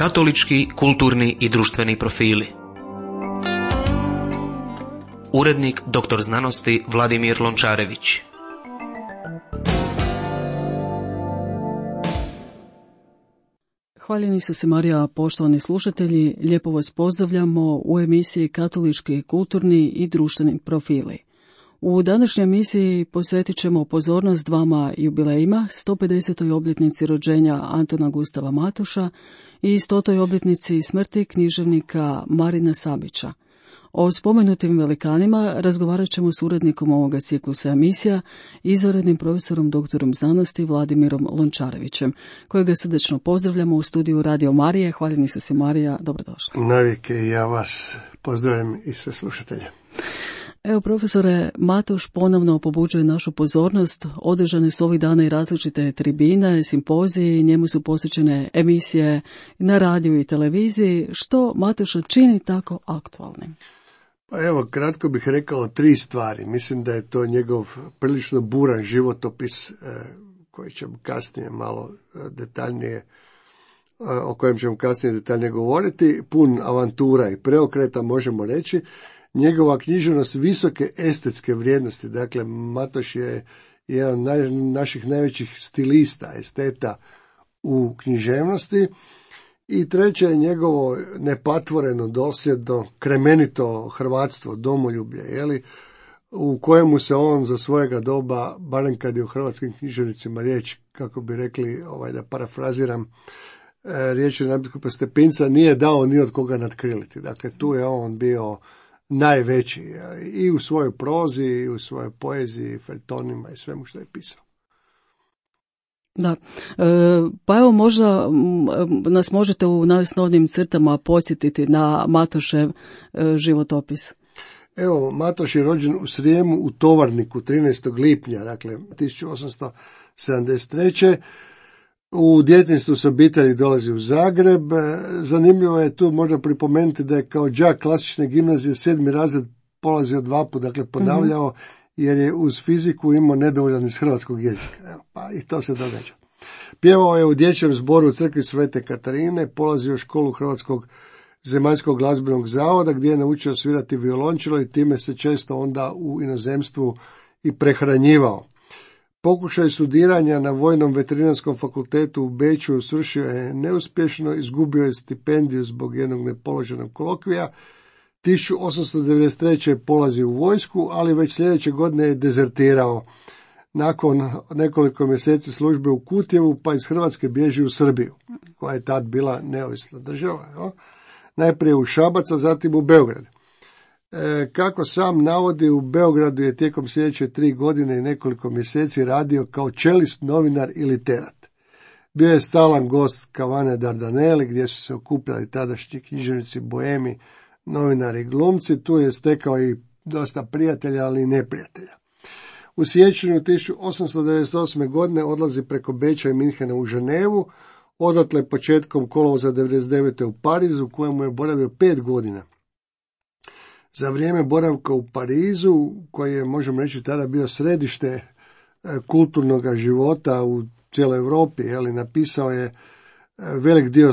Katolički, kulturni i društveni profili. Urednik dr. znanosti Vladimir Lončarević. Hvaljeni su se Marija, poštovani slušatelji, lijepo vas pozdravljamo u emisiji Katolički, kulturni i društveni profili. U današnjoj emisiji posvetit ćemo pozornost dvama jubilejima, 150. obljetnici rođenja Antuna Gustava Matoša i 100. obljetnici smrti književnika Marina Sabića. O spomenutim velikanima razgovarat ćemo s urednikom ovoga ciklusa emisija, izvanrednim profesorom doktorom znanosti Vladimirom Lončarevićem, kojega srdečno pozdravljamo u studiju Radio Marije. Hvaljeni su se Marija, dobrodošli. Navike i ja vas pozdravljam i sve slušatelje. Evo, profesore, Matoš ponovno pobuđuje našu pozornost. Održane su ovih dana i različite tribine, simpoziji, njemu su posvećene emisije na radiju i televiziji. Što Matoša čini tako aktualnim? Pa evo, kratko bih rekao 3 stvari. Mislim da je to njegov prilično buran životopis koji ćemo kasnije malo detaljnije, o kojem ćemo kasnije detaljnije govoriti, pun avantura i preokreta, možemo reći. Njegova književnost visoke estetske vrijednosti, dakle Matoš je jedan od naših najvećih stilista, esteta u književnosti. I treće je njegovo nepatvoreno, dosljedno, kremenito hrvatstvo, domoljublje, u kojemu se on za svojega doba, barem kad je u hrvatskim književnicima riječ, kako bi rekli, da parafraziram, riječi nadbiskupa Stepinca, nije dao ni od koga nadkriliti. Dakle, tu je on bio najveći i u svojoj prozi, i u svojoj poeziji, feljtonima i svemu što je pisao. Da, pa evo možda nas možete u najosnovnijim crtama podsjetiti na Matošev životopis. Evo, Matoš je rođen u Srijemu u Tovarniku 13. lipnja, dakle 1873. U djetinjstvu s obitelji dolazi u Zagreb. Zanimljivo je tu možda pripomenuti da je kao đak klasične gimnazije 7. razred polazio 2 puta, dakle ponavljao, jer je uz fiziku imao nedovoljan iz hrvatskog jezika. Evo, pa i to se događa. Pjevao je u dječjem zboru u crkvi Svete Katarine, polazio školu Hrvatskog zemaljskog glazbenog zavoda gdje je naučio svirati violončelo i time se često onda u inozemstvu i prehranjivao. Pokušaj studiranja na Vojnom veterinarskom fakultetu u Beču svršio je neuspješno, izgubio je stipendiju zbog jednog nepoloženog kolokvija. 1893. je polazio u vojsku, ali već sljedeće godine je dezertirao. Nakon nekoliko mjeseci službe u Kutjevu, pa iz Hrvatske bježi u Srbiju, koja je tad bila neovisna država. Najprije u Šabac, a zatim u Beograd. Kako sam navodi, u Beogradu je tijekom sljedeće 3 godine i nekoliko mjeseci radio kao čelist, novinar i literat. Bio je stalan gost kavane Dardaneli, gdje su se okupljali tadašnji književnici, boemi, novinari i glumci. Tu je stekao i dosta prijatelja, ali i neprijatelja. U siječnju 1898. godine odlazi preko Beča i Minhena u Ženevu, odatle početkom kolovoza 1999. u Parizu, u kojemu je boravio 5 godina. Za vrijeme boravka u Parizu, koji je, možemo reći, tada bio središte kulturnog života u cijeloj Europi, napisao je velik dio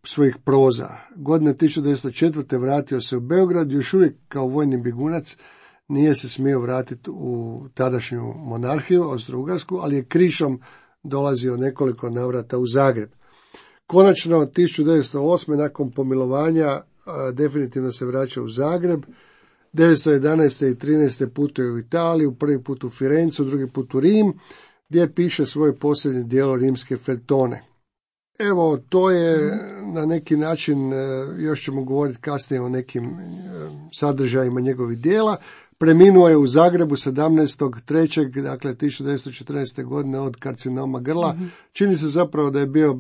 svojih proza. Godine 1904. vratio se u Beograd, još uvijek kao vojni bjegunac, nije se smio vratiti u tadašnju monarhiju, Austro-Ugarsku, ali je krišom dolazio nekoliko navrata u Zagreb. Konačno, 1908. nakon pomilovanja, definitivno se vraća u Zagreb. 1911. i 13. putuje u Italiju, prvi put u Firencu, drugi put u Rim, gdje piše svoje posljednje djelo Rimske feljtone. Evo, to je na neki način, još ćemo govoriti kasnije o nekim sadržajima njegovih djela. Preminuo je u Zagrebu 17.3. dakle 1914. godine od karcinoma grla. Čini se zapravo da je bio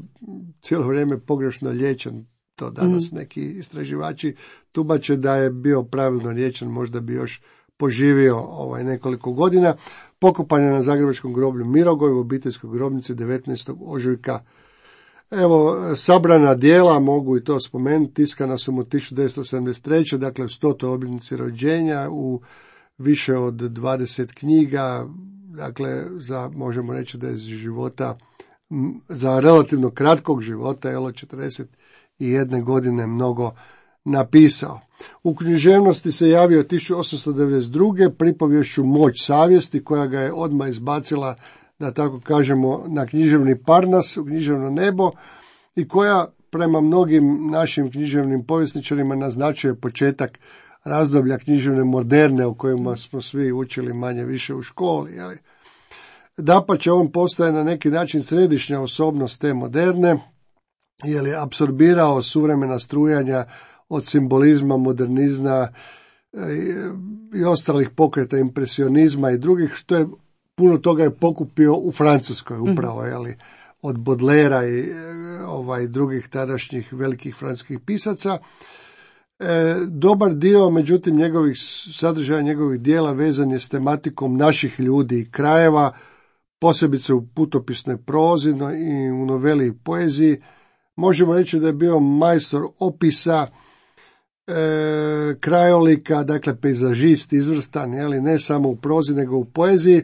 cijelo vrijeme pogrešno liječen. To danas neki istraživači tumače da je bio pravilno liječen, možda bi još poživio nekoliko godina. Pokopan je na zagrebačkom groblju Mirogoj u obiteljskoj grobnici 19. ožujka. Evo, sabrana djela, mogu i to spomenuti, tiskana su mu 1973. dakle u 100. obljetnici rođenja u više od 20 knjiga, dakle možemo reći da je života, za relativno kratkog života, 41 1991. godine mnogo napisao. U književnosti se javio 1892. pripovješću Moć savjesti, koja ga je odmah izbacila, da tako kažemo, na književni parnas, u književno nebo, i koja prema mnogim našim književnim povjesničarima naznačuje početak razdoblja književne moderne, o kojima smo svi učili manje više u školi. Dapače, on postaje na neki način središnja osobnost te moderne, jer je apsorbirao suvremena strujanja od simbolizma, modernizma i ostalih pokreta impresionizma i drugih, što je puno toga je pokupio u Francuskoj upravo, od Baudelaira i drugih tadašnjih velikih francuskih pisaca. Dobar dio, međutim, njegovih sadržaja, njegovih dijela vezan je s tematikom naših ljudi i krajeva, posebice u putopisnoj prozi i u noveli i poeziji. Možemo reći da je bio majstor opisa, krajolika, dakle pejzažist izvrstan, ne samo u prozi nego u poeziji,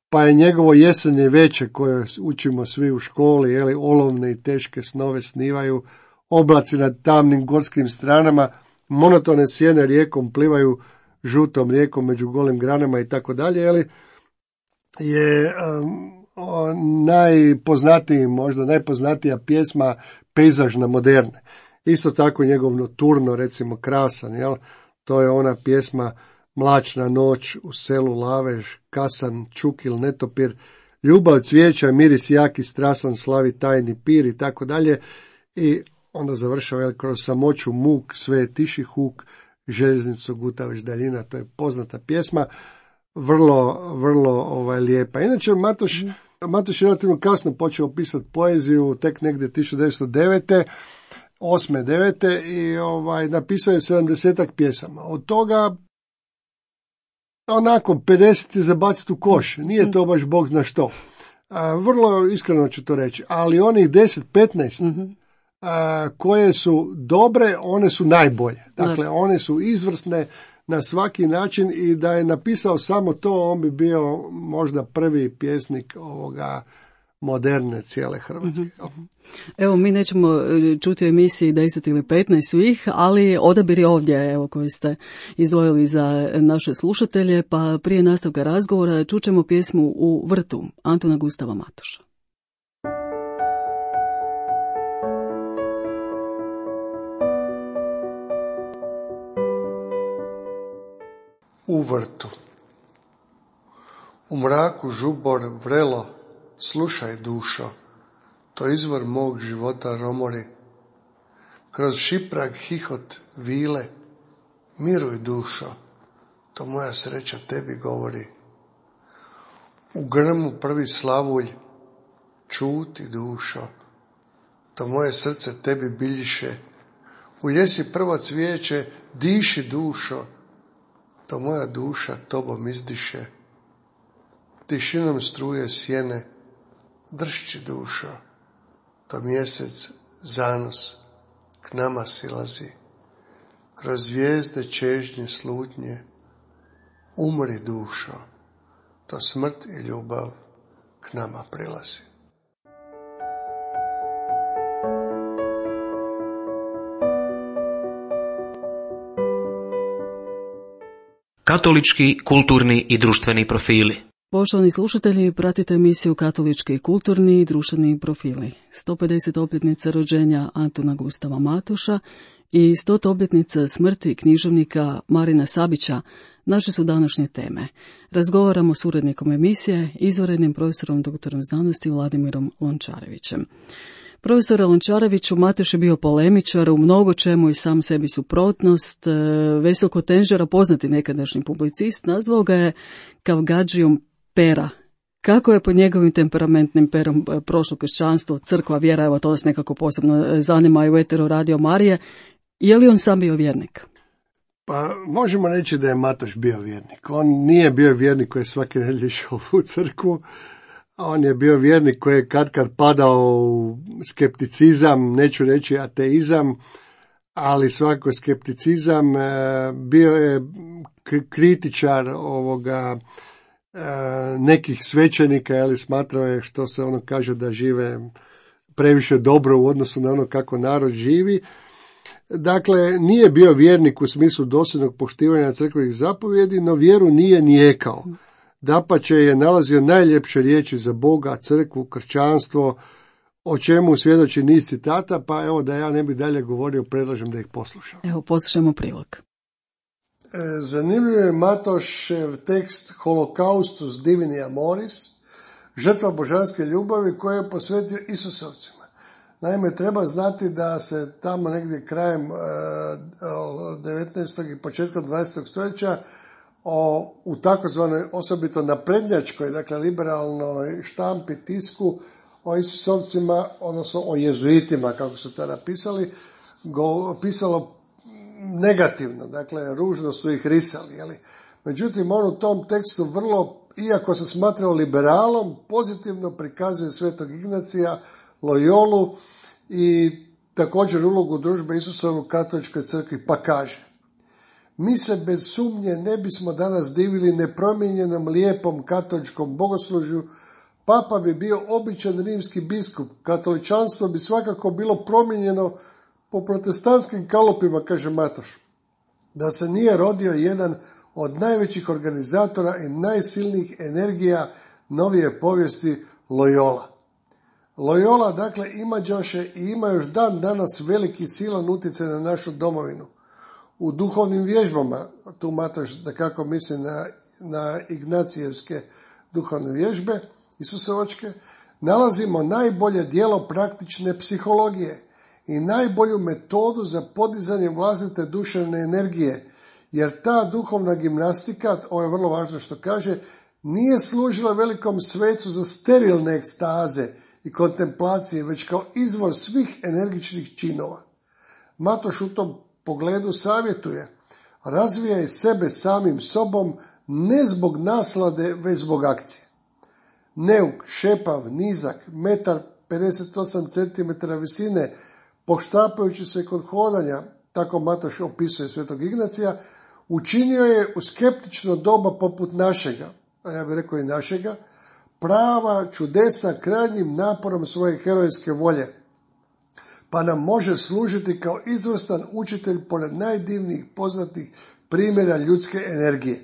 pa je njegovo Jesenje veče koje učimo svi u školi, olovne i teške snove snivaju, oblaci nad tamnim gorskim stranama, monotone sjene rijekom plivaju žutom rijekom među golim granama i tako dalje, je najpoznatija pjesma pejzažna moderne. Isto tako njegov Noturno, recimo, krasan, to je ona pjesma Mlačna noć u selu Lavež, kasan, čukil, netopir, ljubav cvijeća, miris jaki, strasan, slavi tajni pir i tako dalje. I onda završava kroz samoću muk, sve je tiši huk, željeznicu guta već daljina. To je poznata pjesma, vrlo lijepa. Inače, Matoš je relativno kasno počeo pisati poeziju, tek negdje 1909. 8. 9. i napisao je 70-ak pjesama. Od toga onako 50 je zabaciti u koš. Nije to baš bog zna što. Vrlo iskreno ću to reći. Ali onih 10-15 koje su dobre, one su najbolje. Dakle, one su izvrsne na svaki način i da je napisao samo to, on bi bio možda prvi pjesnik ovoga moderne cijele Hrvatske. Evo, mi nećemo čuti u emisiji 10 ili 15 svih, ali odabir je ovdje, koji ste izdvojili za naše slušatelje, pa prije nastavka razgovora čućemo pjesmu U vrtu Antuna Gustava Matoša. U vrtu. U mraku žubor vrelo, slušaj dušo, to izvor mog života romori. Kroz šiprag hihot vile, miruj dušo, to moja sreća tebi govori. U grmu prvi slavulj, čuti dušo, to moje srce tebi biljiše. U ljesi prvo cvijeće, diši dušo, to moja duša tobom izdiše. Tišinom struje sjene, dršći dušo, to mjesec zanos k nama silazi. Kroz zvijezde čežnje slutnje, umri dušo, to smrt i ljubav k nama prilazi. Katolički, kulturni i društveni profili. Poštovani slušatelji, pratite emisiju Katolički, kulturni i društveni profili. 150 obljetnica rođenja Antuna Gustava Matoša i 100 obljetnica smrti književnika Marina Sabića naše su današnje teme. Razgovaramo s urednikom emisije, izvanrednim profesorom doktorom znanosti Vladimirom Lončarevićem. Profesor Lončareviću, Matoš je bio polemičar u mnogo čemu i sam sebi suprotnost. Veselko Tenžera, poznati nekadašnji publicist, nazvao ga je kavgadžijom pera. Kako je pod njegovim temperamentnim perom prošlo kršćanstvo, crkva, vjera, evo to nas nekako posebno zanima i u eteru Radio Marije. Je li on sam bio vjernik? Pa možemo reći da je Matoš bio vjernik. On nije bio vjernik koji je svake nedjelje išao u crkvu. On je bio vjernik koji je kad padao u skepticizam, neću reći ateizam, ali svakako skepticizam. Bio je kritičar nekih svećenika, smatrao je, što se ono kaže, da žive previše dobro u odnosu na ono kako narod živi. Dakle, nije bio vjernik u smislu dosljednog poštivanja crkvenih zapovjedi, no vjeru nije nijekao. Dapače je nalazio najljepše riječi za Boga, crkvu, kršćanstvo, o čemu svjedoči niz citata, pa evo da ja ne bi dalje govorio, predlažem da ih poslušam. Evo, poslušajmo prilog. Zanimljiv je Matošev tekst Holocaustus Divini Amoris, žrtva božanske ljubavi koje je posvetio Isusovcima. Naime, treba znati da se tamo negdje krajem 19. i početkom 20. stoljeća u takozvanoj osobito naprednjačkoj, dakle liberalnoj štampi, tisku o Isusovcima, odnosno o jezuitima, kako su to napisali, pisalo negativno, dakle ružno su ih risali. Jeli? Međutim, on u tom tekstu vrlo, iako se smatrao liberalom, pozitivno prikazuje Svetog Ignacija, Loyolu i također ulogu družbe Isusovu u katoličkoj crkvi, pa kaže: mi se bez sumnje ne bismo danas divili nepromijenjenom lijepom katoličkom bogoslužju, papa bi bio običan rimski biskup, katoličanstvo bi svakako bilo promijenjeno po protestantskim kalupima, kaže Matoš, da se nije rodio jedan od najvećih organizatora i najsilnijih energija novije povijesti, Loyola. Loyola, dakle, imađaše i ima još dan danas veliki silan utjecaj na našu domovinu. U duhovnim vježbama, tu Matoš da kako misli na ignacijevske duhovne vježbe, Isusovačke, nalazimo najbolje djelo praktične psihologije i najbolju metodu za podizanje vlastite duševne energije, jer ta duhovna gimnastika, ovo je vrlo važno što kaže, nije služila velikom svecu za sterilne ekstaze i kontemplacije, već kao izvor svih energičnih činova. Matoš u tom pogledu savjetuje: razvijaj sebe samim sobom, ne zbog naslade, već zbog akcije. Neuk, šepav, nizak, 1,58 cm visine, poštapajući se kod hodanja, tako Matoš opisuje Svetog Ignacija, učinio je u skeptično doba poput našega, a ja bih rekao i našega, prava čudesa krajnjim naporom svoje herojske volje, pa nam može služiti kao izvrstan učitelj pored najdivnijih poznatih primjera ljudske energije.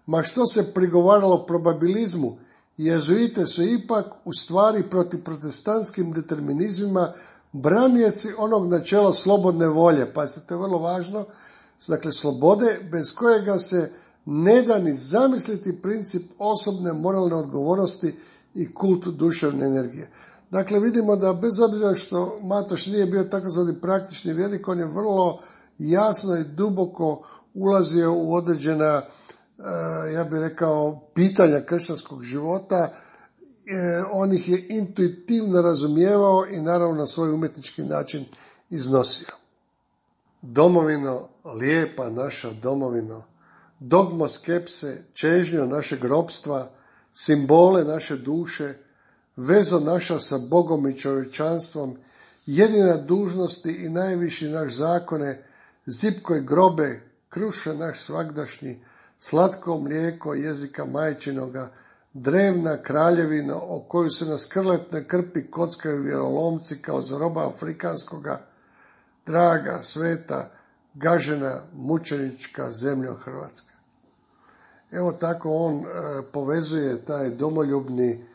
Ma što se prigovaralo probabilizmu, jezuite su ipak u stvari protiv protestantskim determinizmima branjeci onog načela slobodne volje. Pa to je vrlo važno, dakle slobode bez kojega se ne da ni zamisliti princip osobne moralne odgovornosti i kult duševne energije. Dakle, vidimo da bez obzira što Matoš nije bio takozvani praktični vjernik, on je vrlo jasno i duboko ulazio u određena, ja bih rekao, pitanja kršćanskog života. On ih je intuitivno razumijevao i naravno na svoj umjetnički način iznosio. Domovino, lijepa naša domovino, dogmo skepse, čežnjo našeg ropstva, simbole naše duše, vezo naša sa Bogom i čovječanstvom, jedina dužnosti i najviši naš zakone, zipkoj grobe, kruše naš svagdašnji, slatko mlijeko jezika majčinoga, drevna kraljevina o koju se na skrletne krpi kockaju vjerolomci kao za roba afrikanskoga, draga, sveta, gažena, mučenička zemljo Hrvatska. Evo tako on povezuje taj domoljubni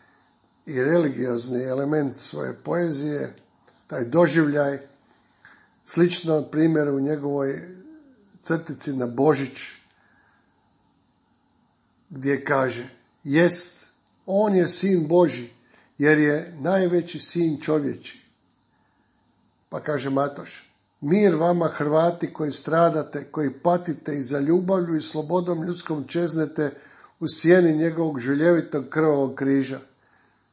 i religiozni element svoje poezije, taj doživljaj, slično primjer u njegovoj crtici na Božić, gdje kaže: jest, on je sin Božji, jer je najveći sin čovječi. Pa kaže Matoš: mir vama Hrvati koji stradate, koji patite i za ljubavlju i slobodom ljudskom čeznete u sjeni njegovog žuljevitog krvavog križa.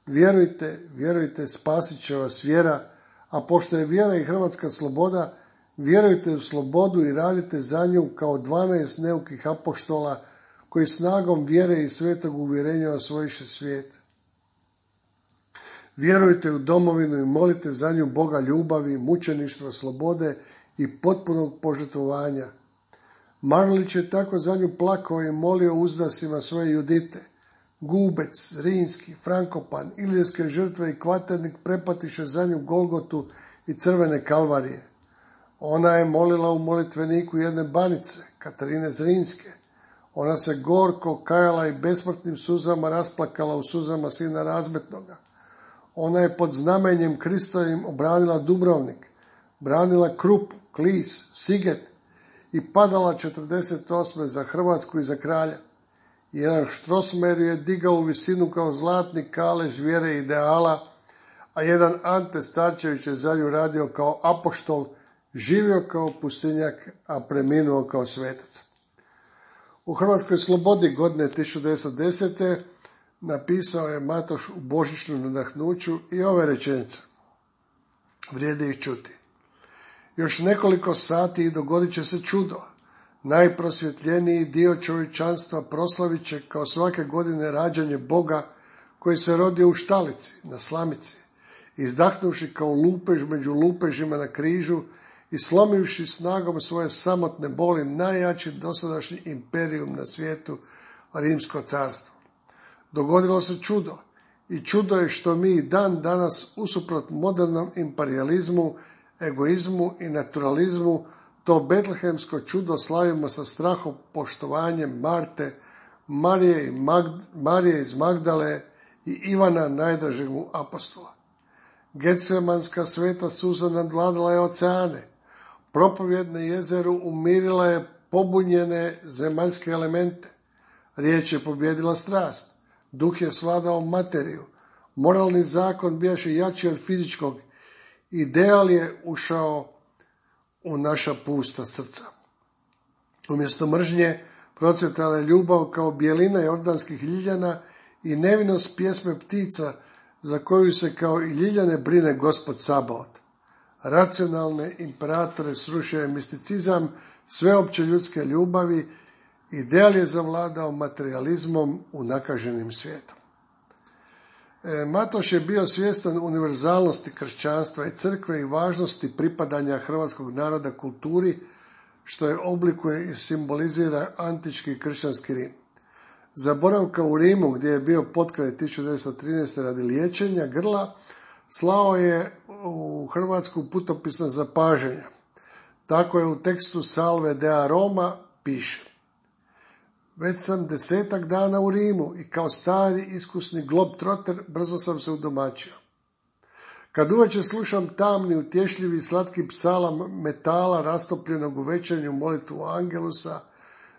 Vjerujte, vjerujte, spasit će vas vjera, a pošto je vjera i hrvatska sloboda, vjerujte u slobodu i radite za nju kao 12 neukih apoštola koji snagom vjere i svetog uvjerenja osvojiše svijet. Vjerujte u domovinu i molite za nju Boga ljubavi, mučeništva, slobode i potpunog požrtvovanja. Marulić je tako za nju plakao i molio uzdasima svoje Judite: Gubec, Rinski, Frankopan, Ilirske žrtve i Kvaternik prepatiše za nju Golgotu i crvene kalvarije. Ona je molila u molitveniku jedne banice, Katarine Zrinske. Ona se gorko kajala i besmrtnim suzama rasplakala u suzama sina razmetnoga. Ona je pod znamenjem Kristovim obranila Dubrovnik, branila Krupu, Klis, Siget i padala 48. za Hrvatsku i za kralja. Jedan Štrosmer je digao u visinu kao zlatni kalež vjere i ideala, a jedan Ante Starčević je za nju radio kao apoštol, živio kao pustinjak, a preminuo kao svetac. U Hrvatskoj slobodi godine 1910. napisao je Matoš u božićnom nadahnuću i ove rečenice. Vrijedi ih čuti. Još nekoliko sati i dogodit će se čudo. Najprosvjetljeniji dio čovječanstva proslavit će kao svake godine rađanje Boga koji se rodio u štalici, na slamici, izdahnuši kao lupež među lupežima na križu i slomivši snagom svoje samotne boli najjači dosadašnji imperijum na svijetu, Rimsko carstvo. Dogodilo se čudo i čudo je što mi dan danas usuprot modernom imperijalizmu, egoizmu i naturalizmu to betlehemsko čudo slavimo sa strahom poštovanjem Marte, Marije iz Magdale i Ivana najdražeg mu apostola. Getsemanska sveta suza nadvladala je oceane, propovjedne jezeru umirila je pobunjene zemaljske elemente, riječ je pobjedila strast, duh je svladao materiju, moralni zakon bijaše jači od fizičkog, ideal je ušao u naša pusta srca. Umjesto mržnje procvjetala je ljubav kao bijelina jordanskih ljiljana i nevinost pjesme ptica za koju se kao i ljiljane brine Gospod Sabaot. Racionalne imperatore srušio je misticizam sveopće ljudske ljubavi, ideal je zavladao materializmom unakaženim svijetom. Matoš je bio svjestan univerzalnosti kršćanstva i crkve i važnosti pripadanja hrvatskog naroda kulturi, što je oblikuje i simbolizira antički kršćanski Rim. Za boravka u Rimu, gdje je bio potkraj 1913. radi liječenja grla, slao je u Hrvatsku putopisna zapažanja. Tako je u tekstu Salve Dea Roma piše: Već sam 10 dana u Rimu i kao stari iskusni globetrotter brzo sam se udomaćio. Kad uveče slušam tamni, utješljivi i slatki psalam metala rastopljenog u večernju molitvu Angelusa,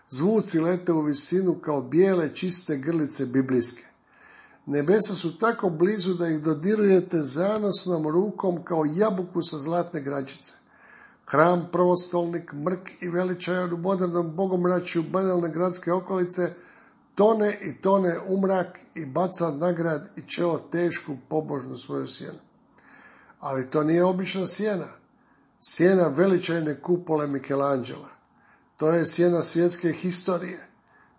zvuci lete u visinu kao bijele čiste grlice biblijske. Nebesa su tako blizu da ih dodirujete zanosnom rukom kao jabuku sa zlatne gračice. Hram, prvostolnik, mrk i veličajan u modernom bogomračju banalne gradske okolice tone i tone u mrak i baca nagrad i čelo tešku pobožnu svoju sjenu. Ali to nije obična sjena. Sjena veličajne kupole Michelangela. To je sjena svjetske historije.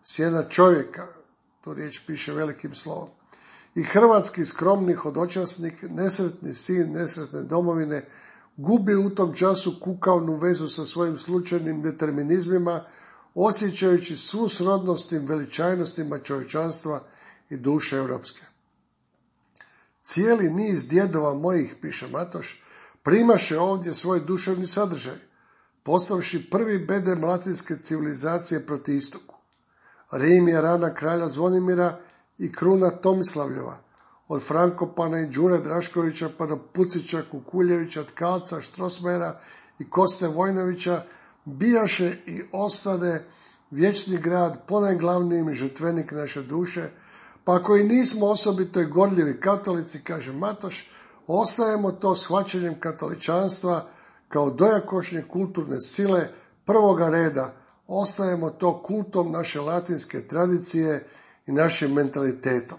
Sjena čovjeka, tu riječ piše velikim slovom. I hrvatski skromni hodočasnik, nesretni sin nesretne domovine, gubi u tom času kukavnu vezu sa svojim slučajnim determinizmima, osjećajući svu srodnost i veličajnostima čovječanstva i duše europske. Cijeli niz djedova mojih, piše Matoš, primaše ovdje svoj duševni sadržaj, postavši prvi bedem latinske civilizacije proti istoku. Rim je rana kralja Zvonimira i kruna Tomislavljeva, od Frankopana i Đure Draškovića pa do Pucića, Kukuljevića, Tkalca, Štrosmera i Koste Vojnovića bijaše i ostade vječni grad, ponajglavniji žrtvenik naše duše, pa ako i nismo osobito i gorljivi katolici, kaže Matoš, ostajemo to shvaćanjem katoličanstva kao dojakošnje kulturne sile prvoga reda, ostajemo to kultom naše latinske tradicije i našim mentalitetom.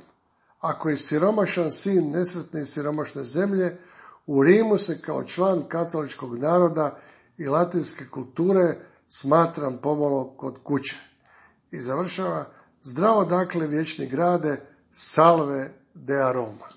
Ako je siromašan sin nesretne i siromašne zemlje, u Rimu se kao član katoličkog naroda i latinske kulture smatram pomalo kod kuće. I završava: zdravo dakle vječni grade, Salve Dea Roma.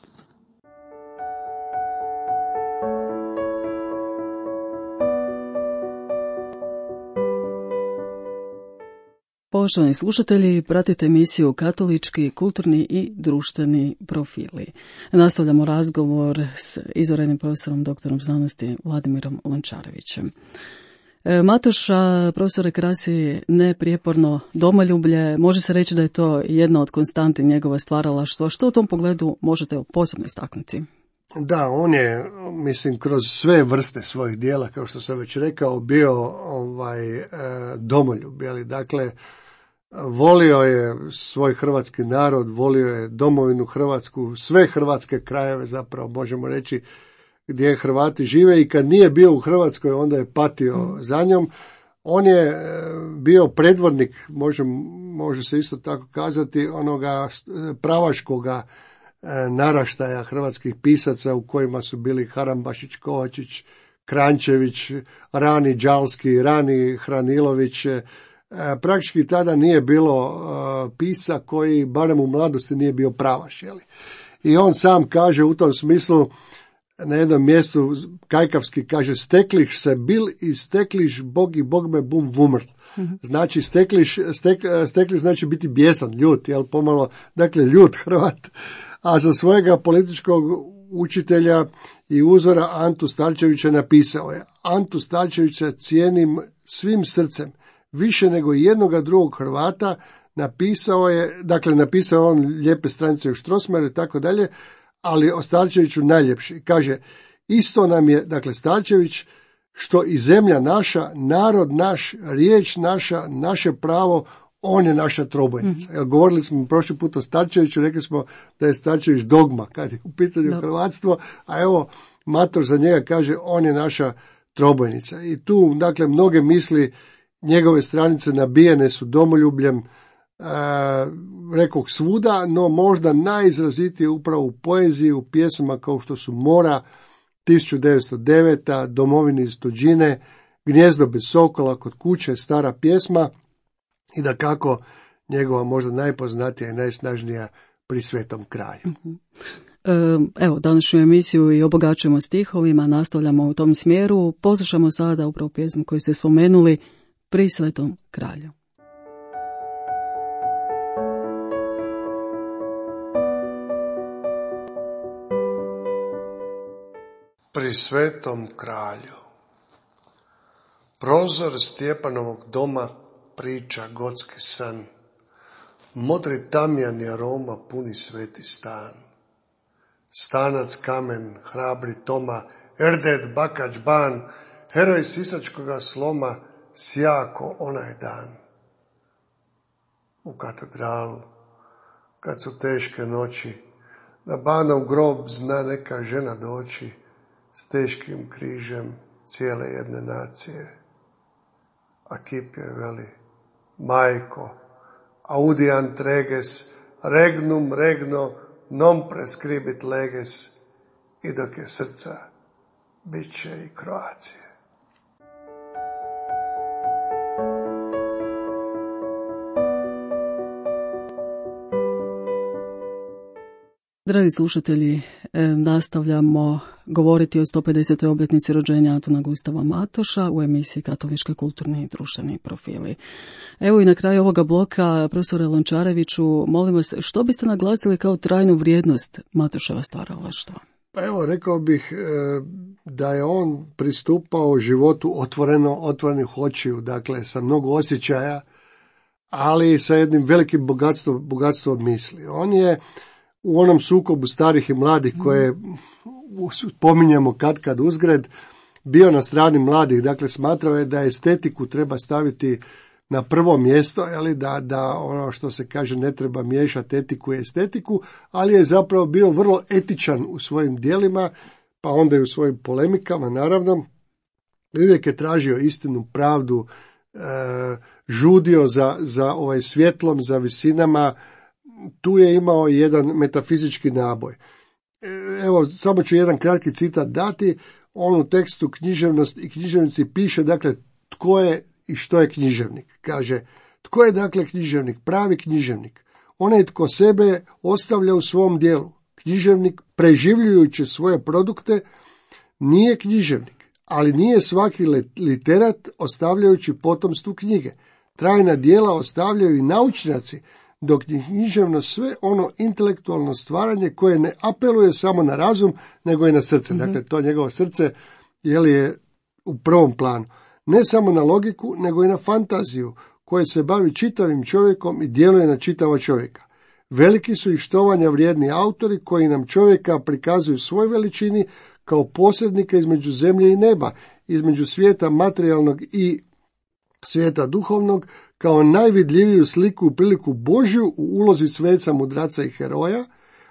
Poštovani slušatelji, pratite emisiju Katolički, kulturni i društveni profili. Nastavljamo razgovor s izvanrednim profesorom doktorom znanosti Vladimirom Lončarevićem. Matoša, profesore, krasi neprijeporno domoljublje. Može se reći da je to jedna od konstanti njegova stvaralaštva. Što u tom pogledu možete posebno istaknuti? Da, on je, mislim, kroz sve vrste svojih dijela, kao što sam već rekao, bio domoljub. Dakle, volio je svoj hrvatski narod, volio je domovinu Hrvatsku, sve hrvatske krajeve zapravo možemo reći gdje Hrvati žive, i kad nije bio u Hrvatskoj onda je patio za njom. On je bio predvodnik, može se isto tako kazati, onoga pravaškoga naraštaja hrvatskih pisaca u kojima su bili Harambašić, Kovačić, Krančević, rani Đalski, rani Hranilović. Praktički tada nije bilo pisa koji barem u mladosti nije bio pravaš. I on sam kaže u tom smislu na jednom mjestu kajkavski, kaže, stekliš se bil i stekliš bog i bog me bum vumr. Znači stekliš znači biti bijesan, ljut, pomalo, dakle ljut Hrvat. A za svojega političkog učitelja i uzora Antu Starčevića napisao je: Antu Starčevića cijenim svim srcem, više nego jednoga drugog Hrvata. Napisao on lijepe stranice u Strossmayeru i tako dalje, ali o Starčeviću najljepši. Kaže, isto nam je, dakle, Starčević, što i zemlja naša, narod naš, riječ naša, naše pravo, on je naša trobojnica. Govorili smo prošli put o Starčeviću, rekli smo da je Starčević dogma kad je u pitanju hrvatstvo, a evo Mator za njega kaže, on je naša trobojnica. I tu, dakle, mnoge misli njegove stranice nabijene su domoljubljem, rekoh svuda, no možda najizrazitije upravo u poeziji, u pjesmama kao što su Mora, 1909, Domovini iz tuđine, Gnjezdo bez sokola, Kod kuće, stara pjesma, i da kako njegova možda najpoznatija i najsnažnija Pri svetom kralju. Evo, današnju emisiju i obogaćujemo stihovima, nastavljamo u tom smjeru. Poslušamo sada upravo pjesmu koju ste spomenuli, Pri svetom kralju. Pri svetom kralju. Prozor Stjepanovog doma priča gotski san. Modri tamjan i aroma puni sveti stan. Stanac kamen, hrabri Toma, Erded Bakač ban, heroj sisačkoga sloma, sjako onaj dan. U katedralu, kad su teške noći, na Banov grob zna neka žena doći, s teškim križem cijele jedne nacije. A kip je veli, majko, audiant reges, regnum regno, non prescribit leges, i dok je srca, bit će i Kroacije. Dragi slušatelji, nastavljamo govoriti o 150. obljetnici rođenja Antuna Gustava Matoša u emisiji Katolički, kulturni i društveni profili. Evo i na kraju ovoga bloka, profesore Lončareviću, molim vas, što biste naglasili kao trajnu vrijednost Matoševa stvaralaštva? Pa evo, rekao bih da je on pristupao životu otvorenih očiju, dakle sa mnogo osjećaja, ali sa jednim velikim bogatstvom misli. On je u onom sukobu starih i mladih koje spominjemo kad uzgred, bio na strani mladih, dakle smatrao je da estetiku treba staviti na prvo mjesto, da ono što se kaže ne treba miješati etiku i estetiku, ali je zapravo bio vrlo etičan u svojim djelima, pa onda i u svojim polemikama, naravno. Uvijek je tražio istinu, pravdu, žudio za svjetlom, za visinama. Tu je imao jedan metafizički naboj. Evo, samo ću jedan kratki citat dati. On u tekstu Književnost i književnici piše, dakle, tko je i što je književnik. Kaže, tko je dakle književnik? Pravi književnik. Onaj tko sebe ostavlja u svom dijelu. Književnik, preživljujući svoje produkte, nije književnik, ali nije svaki literat ostavljajući potomstvu knjige. Trajna dijela ostavljaju i naučnjaci, dok je književno sve ono intelektualno stvaranje koje ne apeluje samo na razum, nego i na srce. Dakle, to njegovo srce je u prvom planu. Ne samo na logiku, nego i na fantaziju, koje se bavi čitavim čovjekom i djeluje na čitavo čovjeka. Veliki su i štovanja vrijedni autori koji nam čovjeka prikazuju svoj veličini kao posrednika između zemlje i neba, između svijeta materijalnog i svijeta duhovnog, kao najvidljiviju sliku i priliku Božju u ulozi sveca, mudraca i heroja,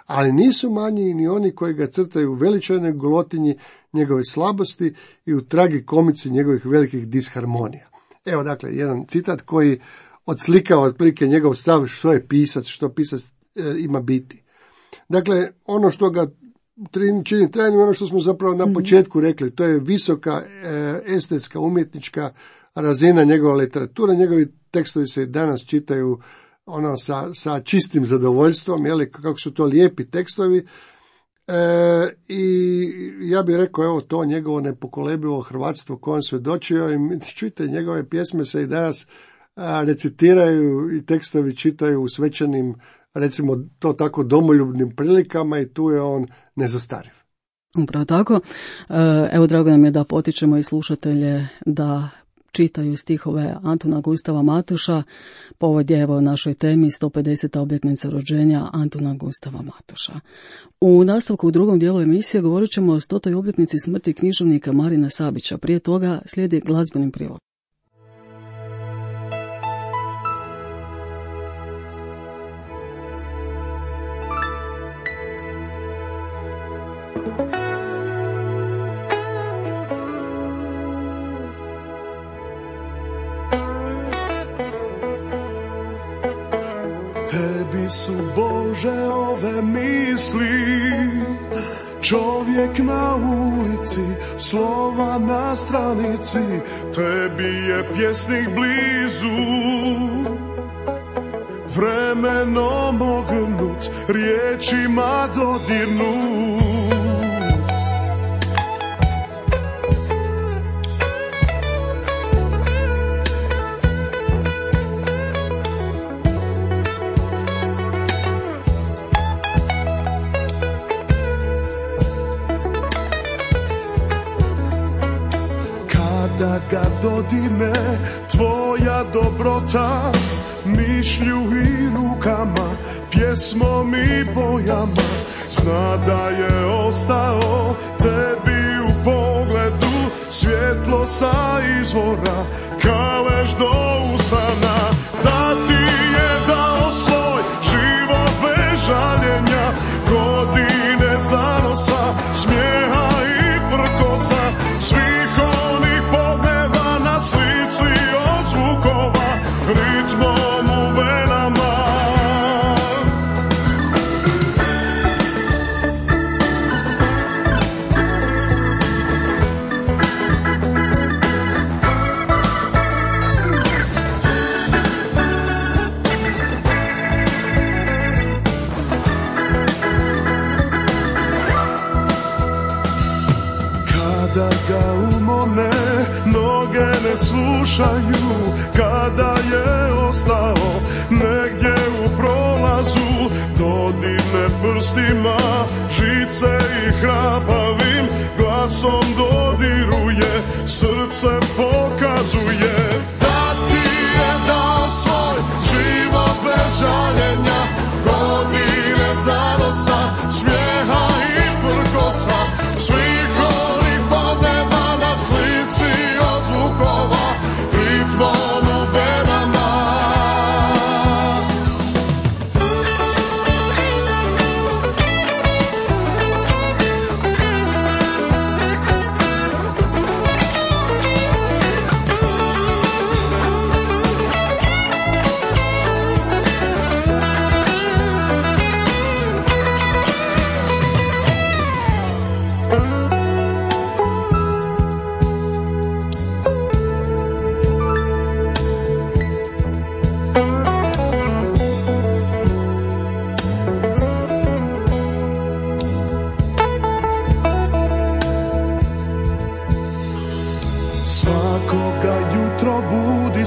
ali nisu manji ni oni koji ga crtaju u veličajnoj golotinji njegove slabosti i u tragikomici njegovih velikih disharmonija. Evo dakle jedan citat koji odslikava otprilike njegov stav što je pisac, što pisac ima biti. Dakle, ono što ga čini trajnim, ono što smo zapravo na početku rekli, to je visoka estetska, umjetnička razina njegova literatura. Njegovi tekstovi se danas čitaju sa čistim zadovoljstvom, kako su to lijepi tekstovi. I ja bih rekao, evo to njegovo nepokolebivo hrvatstvo kojem svjedočio, i čujte, njegove pjesme se i danas recitiraju i tekstovi čitaju u svečanim, recimo to tako, domoljubnim prilikama, i tu je on nezastariv. Upravo tako. Evo, drago nam je da potičemo i slušatelje da čitaju stihove Antuna Gustava Matoša povodje evo našoj temi 150. obljetnica rođenja Antuna Gustava Matoša. U nastavku u drugom dijelu emisije govorit ćemo o 100. obljetnici smrti književnika Marina Sabića. Prije toga slijedi glazbeni prilog. Tebi su, Bože, ove misli, čovjek na ulici, slova na stranici, tebi je pjesnik blizu, vremenom ognut, riječima dodirnut. Da ga dodirne tvoja dobrota, mišlju i rukama, pjesmom i bojama, zna da je ostao tebi u pogledu svjetlo sa izvora, kalež do usana. Da ti je dao svoj život bez žaljenja, godine zanosa, smijeha i prkosa, svih onih pogleda na slici od zvukova, ritmom u venama. Kada ga umorne noge ne slušaju, kada je ostao negdje u prolazu, dodirne prstima žice i hrapavim glasom dodiruje, srce pokazuje. Da ti je dao svoj život bez žaljenja, godine zanosa, smijeha i prkosa, svih onih podneba na slici od zvukova, ritmom u venama.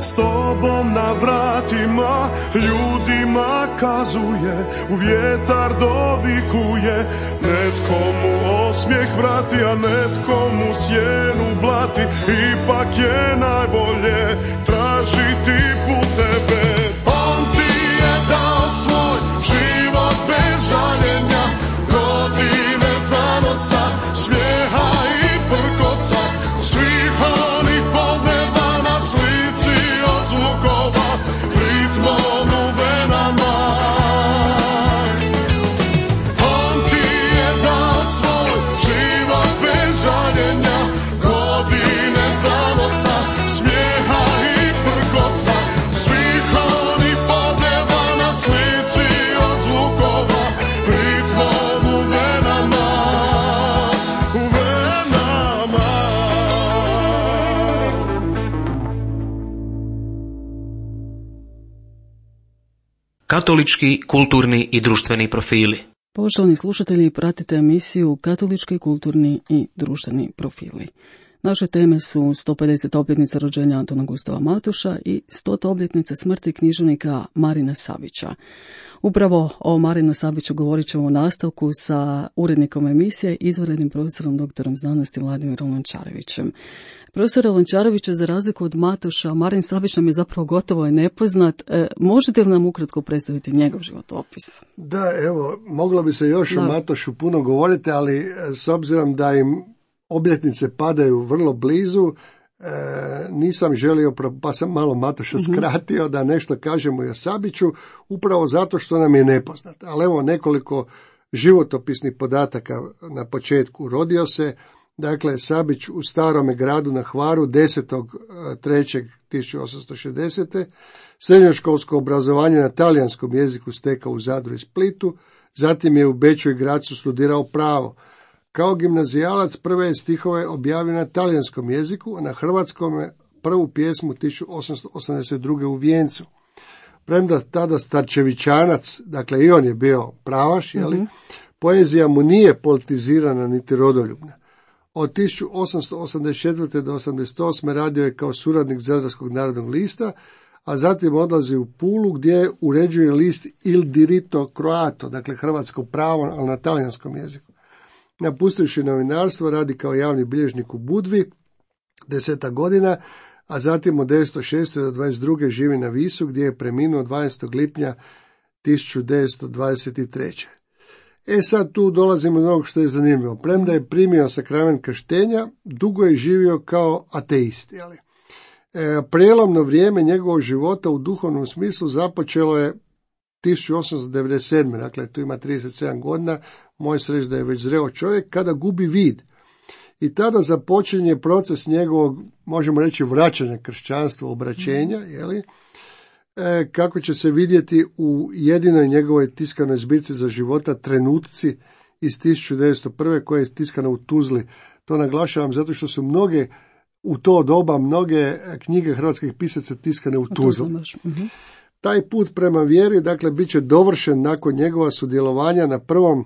s tobom na vratima, ljudima kazuje, u vjetar dovikuje. Netko mu osmijeh vrati, a netko mu sjenu blati. Ipak je najbolje tražiti put tebe. On ti je dao svoj život bez žaljenja, godine zanosa, smijeha i prkosa, svih onih podneva na slici od zvukova, ritmom u venama. On ti je dao svoj život bez žaljenja, godine zanosa, smijeha i prkosa, svih onih podneva na slici od zvukova, ritmom u venama, u venama. Katolički, kulturni i društveni profili. Poštovani slušatelji, pratite emisiju Katolički, kulturni i društveni profili. Naše teme su 150. obljetnica rođenja Antuna Gustava Matoša i 100. obljetnica smrti književnika Marina Savića. Upravo o Marinu Saviću govorit ćemo u nastavku sa urednikom emisije, izvanrednim profesorom doktorom znanosti Vladimirom Lončarevićem. Profesore Lončareviću, za razliku od Matoša, Marin Savić nam je zapravo gotovo i nepoznat. Možete li nam ukratko predstaviti njegov životopis? Da, evo, moglo bi se još o Matošu puno govoriti, ali s obzirom da im obljetnice padaju vrlo blizu, nisam želio, pa sam malo Matoša skratio da nešto kažemo i o Saviću, upravo zato što nam je nepoznat. Ali evo nekoliko životopisnih podataka na početku. Rodio se, dakle, Savić u Starome gradu na Hvaru 10.3.1860. Srednjoškolsko obrazovanje na talijanskom jeziku stekao u Zadru i Splitu, zatim je u Beču i Grazu studirao pravo. Kao gimnazijalac prve je stihove objavio na talijanskom jeziku, a na hrvatskom je prvu pjesmu 1882. u Vijencu. Premda tada Starčevićanac, dakle i on je bio pravaš, poezija mu nije politizirana niti rodoljubna. Od 1884. do 1888. radio je kao suradnik Zadarskog narodnog lista, a zatim odlazi u Pulu gdje uređuje list Il Diritto Croato, dakle hrvatsko pravo, ali na talijanskom jeziku. Napustivši novinarstvo, radi kao javni bilježnik u Budvi 10 godina, a zatim od 1906. do 22. živi na Visu gdje je preminuo 12. lipnja 1923. Sad tu dolazimo do onog što je zanimljivo. Premda je primio sakrament krštenja, dugo je živio kao ateist. Prijelomno vrijeme njegovog života u duhovnom smislu započelo je 1897. Dakle, tu ima 37 godina, može se reći da je već zreo čovjek, kada gubi vid. I tada započinje proces njegovog, možemo reći, vraćanja kršćanstva, obraćenja, kako će se vidjeti u jedinoj njegovoj tiskanoj zbirci za života Trenutci iz 1901. koja je tiskana u Tuzli. To naglašavam zato što su mnoge, u to doba, mnoge knjige hrvatskih pisaca tiskane u Tuzli. Taj put prema vjeri, dakle, bit će dovršen nakon njegova sudjelovanja na prvom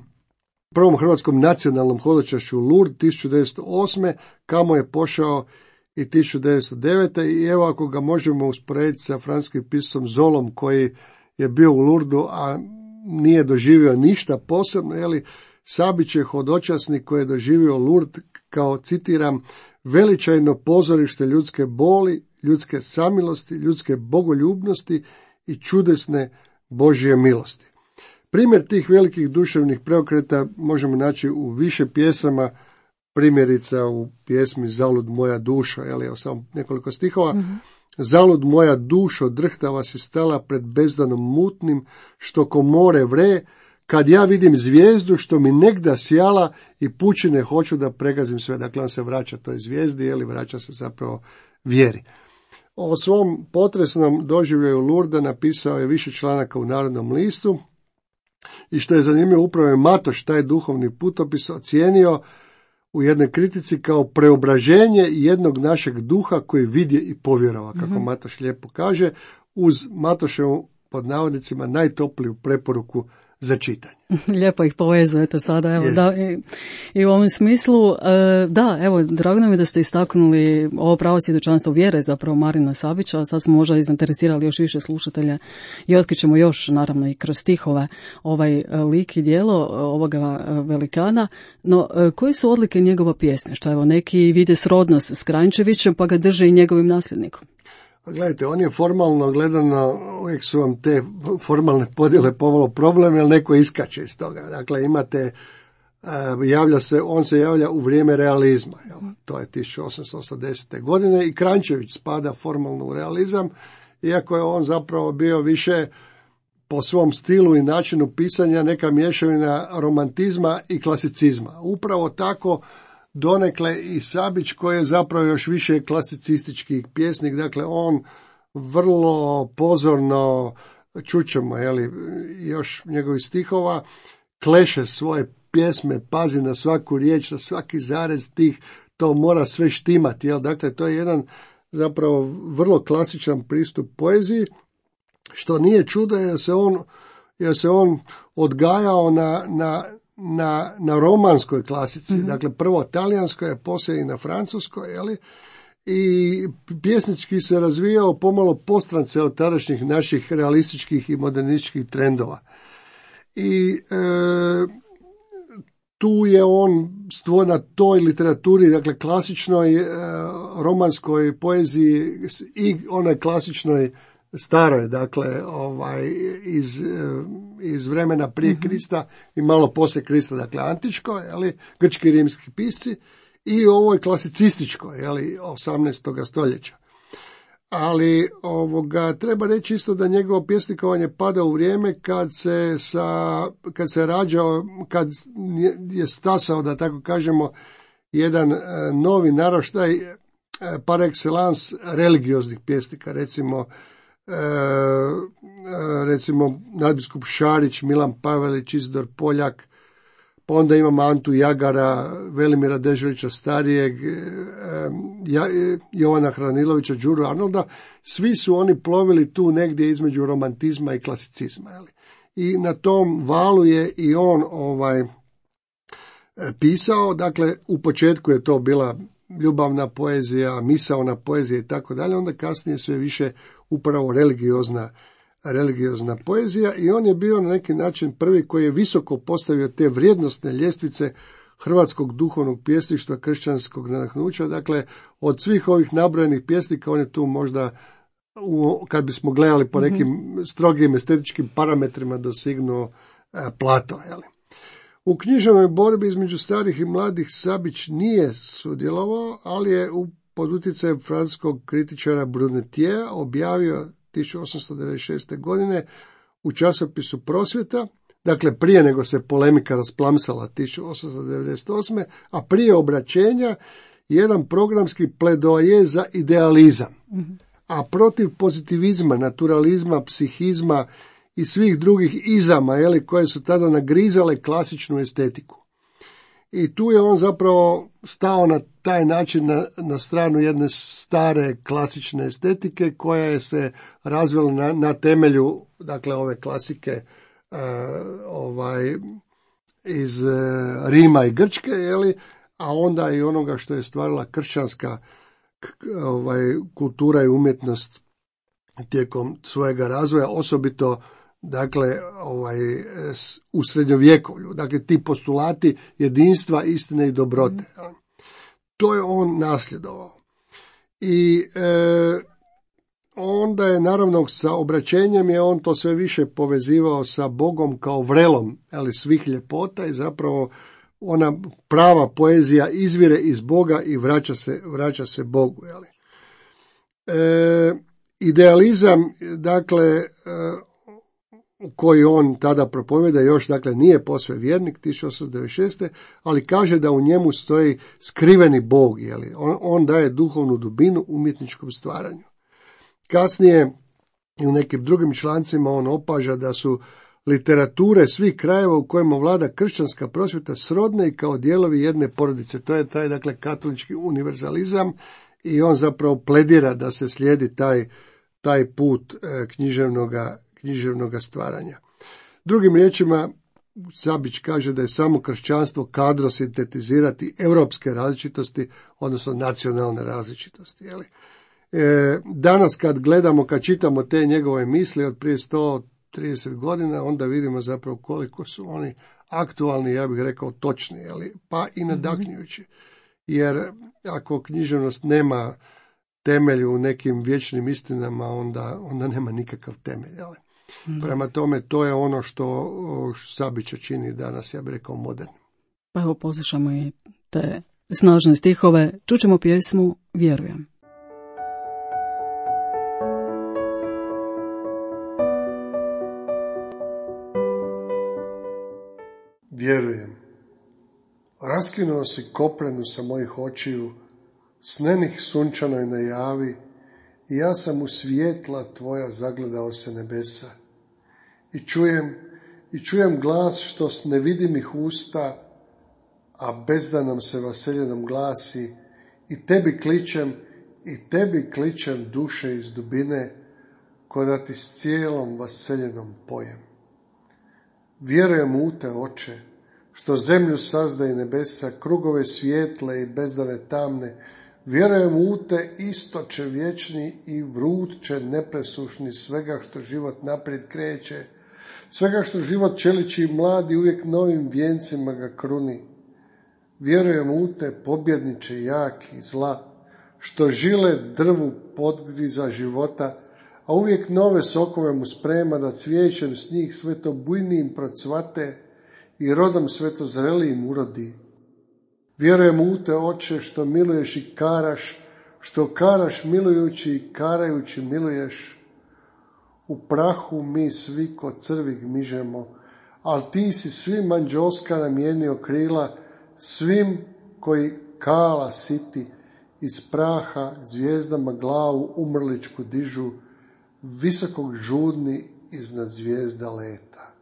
hrvatskom nacionalnom hodočašću Lourdes 1908. kamo je pošao i 1909. I evo, ako ga možemo usporediti sa francuskim pisasom Zolom koji je bio u Lourdesu, a nije doživio ništa posebno, Savić je hodočasnik koji je doživio Lourdes kao, citiram, veličajno pozorište ljudske boli, ljudske samilosti, ljudske bogoljubnosti i čudesne Božje milosti. Primjer tih velikih duševnih preokreta možemo naći u više pjesama, primjerica u pjesmi Zalud moja dušo, evo samo nekoliko stihova. Zalud moja dušo, drhtava si stala pred bezdanom mutnim, što ko more vre, kad ja vidim zvijezdu što mi negda sjala i pučine hoću da pregazim sve. Dakle, on se vraća toj zvijezdi, vraća se zapravo vjeri. O svom potresnom doživljaju Lourdesa napisao je više članaka u Narodnom listu i što je zanimljivo, upravo je Matoš taj duhovni putopis ocijenio u jednoj kritici kao preobraženje jednog našeg duha koji vidje i povjerova, kako Matoš lijepo kaže, uz Matoševu, pod navodnicima, najtopliju preporuku za čitanje. Lijepo ih povezujete sada, evo, da, i u ovom smislu, da, evo, drago nam je da ste istaknuli ovo pravo svjedočanstvo vjere, zapravo Marina Sabića, sad smo možda izinteresirali još više slušatelja i otkrićemo još, naravno, i kroz stihove ovaj lik i djelo ovoga velikana, no koje su odlike njegova pjesništva? Evo, neki vide srodnost s Kranjčevićem, pa ga drže i njegovim nasljednikom. Gledajte, on je formalno gledano, uvijek su vam te formalne podjele pomalo problem, jer neko iskače iz toga. Dakle, imate, on se javlja u vrijeme realizma, to je 1880. godine i Kranjčević spada formalno u realizam, iako je on zapravo bio više po svom stilu i načinu pisanja neka mješavina romantizma i klasicizma. Upravo tako donekle i Sabić, koji je zapravo još više klasicistički pjesnik, dakle on vrlo pozorno, čućemo još njegovih stihova, kleše svoje pjesme, pazi na svaku riječ, na svaki zarez tih, to mora sve štimati, dakle to je jedan zapravo vrlo klasičan pristup poeziji, što nije čudo jer se on odgajao na romanskoj klasici, dakle prvo talijanskoj, a poslije i na francuskoj, i pjesnički se razvijao pomalo postrance od tadašnjih naših realističkih i modernističkih trendova. I tu je on na toj literaturi, dakle klasičnoj romanskoj poeziji i onoj klasičnoj staroj, dakle iz vremena prije Krista i malo poslije Krista, dakle antičko, grčki i rimski pisci, i ovoj klasicističkoj, 18. stoljeća. Ali treba reći isto da njegovo pjesnikovanje pada u vrijeme kad se rađao, kad je stasao, da tako kažemo, jedan novi naraštaj par excellence religioznih pjesnika, recimo nadbiskup Šarić, Milan Pavelić, Isidor Poljak, pa onda imamo Antu Jagara, Velimira Deželića starijeg, Jovana Hranilovića, Đuru Arnolda, svi su oni plovili tu negdje između romantizma i klasicizma. I na tom valu je i on pisao, dakle u početku je to bila ljubavna poezija, misaona poezija i tako dalje, onda kasnije sve više upravo religiozna poezija, i on je bio na neki način prvi koji je visoko postavio te vrijednosne ljestvice hrvatskog duhovnog pjesništva, kršćanskog nadahnuća. Dakle, od svih ovih nabrojenih pjesnika on je tu možda, kad bismo gledali po nekim strogim estetičkim parametrima, dosignuo plato. U književnoj borbi između starih i mladih Sabić nije sudjelovao, ali je pod utjecajem francuskog kritičara Brunetiera objavio 1896. godine u časopisu Prosvjeta, dakle prije nego se polemika rasplamsala 1898. a prije obraćenja, jedan programski pledoaje za idealizam, a protiv pozitivizma, naturalizma, psihizma i svih drugih izama, koje su tada nagrizale klasičnu estetiku. I tu je on zapravo stao na taj način na stranu jedne stare klasične estetike koja je se razvila na temelju, dakle, ove klasike iz Rima i Grčke, a onda i onoga što je stvarila kršćanska kultura i umjetnost tijekom svojega razvoja, osobito dakle u srednjovjekovlju, dakle ti postulati jedinstva, istine i dobrote. To je on nasljedovao. I onda je naravno sa obraćenjem je on to sve više povezivao sa Bogom kao vrelom, svih ljepota, i zapravo ona prava poezija izvire iz Boga i vraća se Bogu. Idealizam, dakle, koji on tada propovjeda, još dakle nije posve vjernik, 1896. ali kaže da u njemu stoji skriveni Bog, on daje duhovnu dubinu umjetničkom stvaranju. Kasnije u nekim drugim člancima on opaža da su literature svih krajeva u kojima vlada kršćanska prosvjeta srodne i kao dijelovi jedne porodice. To je taj, dakle, katolički univerzalizam, i on zapravo pledira da se slijedi taj put književnoga stvaranja. Drugim riječima, Sabić kaže da je samo kršćanstvo kadro sintetizirati europske različitosti, odnosno nacionalne različitosti. Danas kad čitamo te njegove misli od prije 130 godina, onda vidimo zapravo koliko su oni aktualni, ja bih rekao točni, pa i nadahnjujući. Jer ako književnost nema temelj u nekim vječnim istinama, onda nema nikakav temelj. Prema tome, to je ono što Sabića čini danas, ja bih rekao, modernim. Pa evo, poslušamo i te snažne stihove. Čućemo pjesmu Vjerujem. Vjerujem. Raskinuo si koprenu sa mojih očiju, snenih sunčanoj najavi, i ja sam u svjetla tvoja zagledao se nebesa. I čujem glas što s nevidimih usta, a bezdanom se vaseljenom glasi, i tebi kličem duše iz dubine, ko da ti s cijelom vaseljenom pojem. Vjerujem u te, oče, što zemlju sazda i nebesa, krugove svijetle i bezdane tamne. Vjerujem u te, istoče vječni i vrutče nepresušni, svega što život naprijed kreće, svega što život čeliči i mladi uvijek novim vijencima ga kruni. Vjerujem u te, pobjedniče jaki zla, što žile drvu podgriza života, a uvijek nove sokove mu sprema, da cvijećem s njih sve to bujnijim procvate i rodom sve to zrelijim urodi. Vjerujem u te, oče, što miluješ i karaš, što karaš milujući i karajući miluješ. U prahu mi svi ko crvi gmižemo, ali ti si svim anđoska namijenio krila, svim koji kala siti, iz praha zvijezdama glavu umrličku dižu, visokog žudni iznad zvijezda leta.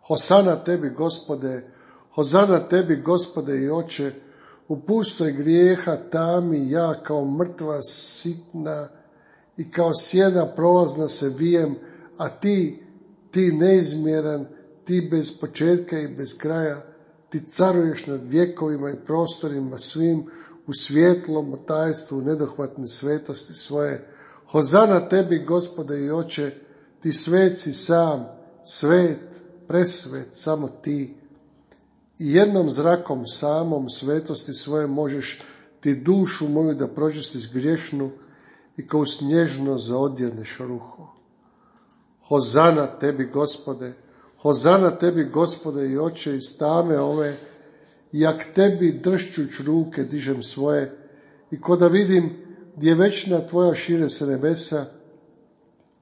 Hosana tebi, Gospode, hozana tebi, Gospode i Oče, u pustoj grijeha tami ja kao mrtva sitna i kao sjena prolazna se vijem, a ti neizmjeran, ti bez početka i bez kraja, ti caruješ nad vjekovima i prostorima svim, u svjetlom tajstvu nedohvatne svetosti svoje. Hozana tebi, Gospode i Oče, ti sveci sam, svet, presvet, samo ti. I jednom zrakom samom svetosti svoje možeš ti dušu moju da pročistiš griješnu i kao snježno zaodjeneš ruho. Hozana tebi, Gospode, hozana tebi, Gospode i Oče, iz tame ove, jak tebi dršćuć ruke dižem svoje, i ko da vidim gdje večna tvoja šire se nebesa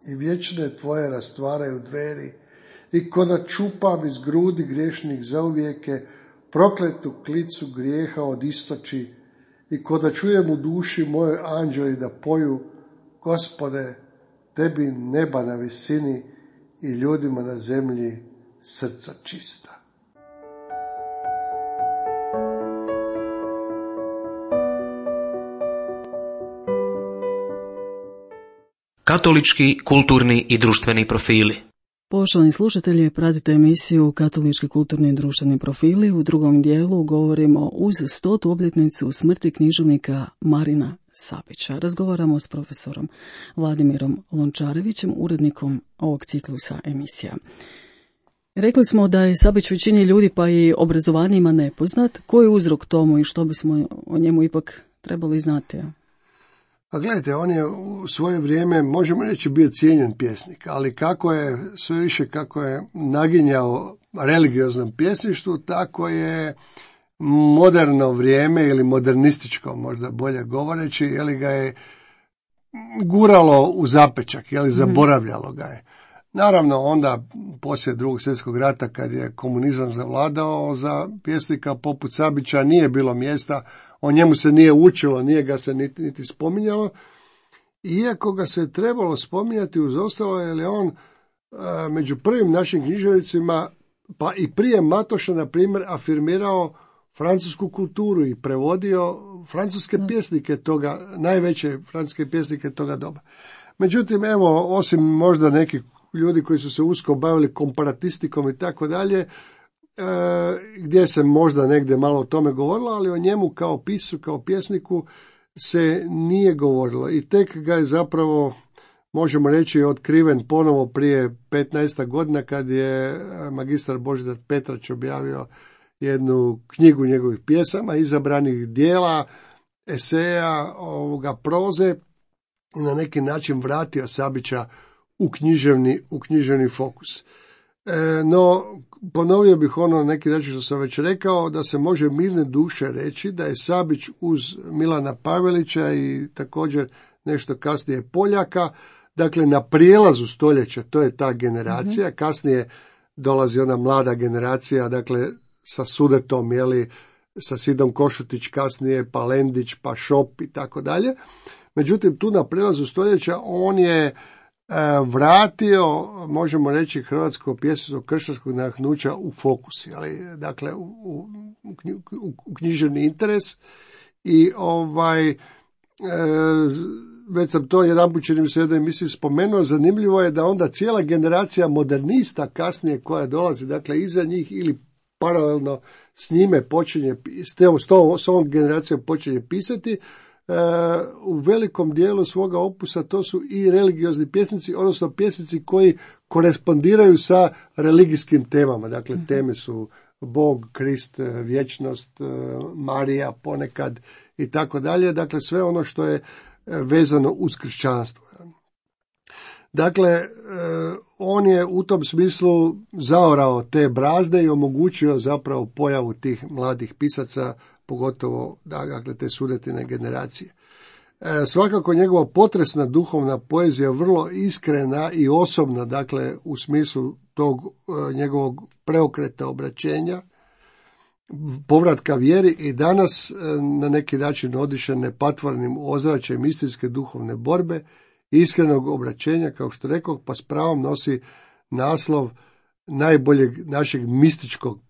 i vječne tvoje rastvaraju dveri, i ko da čupam iz grudi griješnih zauvijeke, prokletu klicu grijeha od istoči, i ko da čujem u duši mojoj anđeli da poju, Gospode, tebi neba na visini i ljudima na zemlji srca čista. Katolički, kulturni i društveni profili. Poštovani slušatelji, pratite emisiju Katolički, kulturni i društveni profili. U drugom dijelu govorimo uz 100. obljetnicu smrti književnika Marina Sabića. Razgovaramo s profesorom Vladimirom Lončarevićem, urednikom ovog ciklusa emisija. Rekli smo da je Sabić većini ljudi, pa i obrazovanijima, nepoznat. Koji je uzrok tomu i što bismo o njemu ipak trebali znati? A gledajte, on je u svoje vrijeme, možemo reći, bio cijenjen pjesnik, ali sve više kako je naginjao religioznom pjesništvu, tako je moderno vrijeme ili modernističko, možda bolje govoreći, ga je guralo u zapečak, zaboravljalo ga je. Naravno, onda poslije Drugog svjetskog rata, kad je komunizam zavladao, za pjesnika poput Sabića nije bilo mjesta, o njemu se nije učilo, nije ga se niti spominjalo, iako ga se trebalo spominjati uz ostalo, jer je on među prvim našim književnicima, pa i prije Matoša, na primjer, afirmirao francusku kulturu i prevodio francuske pjesnike toga, najveće francuske pjesnike toga doba. Međutim, evo, osim možda nekih ljudi koji su se usko bavili komparatistikom i tako dalje, gdje se možda negdje malo o tome govorilo, ali o njemu kao pisu, kao pjesniku se nije govorilo i tek ga je zapravo, možemo reći, otkriven ponovo prije 15 godina kad je magistar Božidar Petrać objavio jednu knjigu njegovih pjesama, izabranih dijela, eseja, proze i na neki način vratio Sabića u književni fokus. No, ponovio bih ono neki način što sam već rekao, da se može mirne duše reći da je Sabić uz Milana Pavelića i također nešto kasnije Poljaka, dakle na prijelazu stoljeća, to je ta generacija, kasnije dolazi ona mlada generacija, dakle sa Sudetom, sa Sidom Košutić kasnije, pa Lendić, pa Šop i tako dalje. Međutim, tu na prijelazu stoljeća on je vratio, možemo reći, hrvatsko pjesništvo kršćanskog nadahnuća u fokus, dakle u književni interes i već sam to jedanput čini mi se u jednoj emisiji spomenuo, zanimljivo je da onda cijela generacija modernista kasnije koja dolazi, dakle iza njih ili paralelno s njime počinje, s ovom generacijom počinje pisati, u velikom dijelu svoga opusa to su i religiozni pjesnici, odnosno pjesnici koji korespondiraju sa religijskim temama. Dakle, teme su Bog, Krist, vječnost, Marija ponekad i tako dalje. Dakle, sve ono što je vezano uz kršćanstvo. Dakle, on je u tom smislu zaorao te brazde i omogućio zapravo pojavu tih mladih pisaca, pogotovo dakle, te Sudetine generacije. Svakako njegova potresna duhovna poezija vrlo iskrena i osobna, dakle u smislu tog njegovog preokreta obraćenja, povratka vjeri i danas na neki način odišene patvornim ozračjem istinske duhovne borbe, iskrenog obraćenja, kao što rekao, pa s pravom nosi naslov najboljeg našeg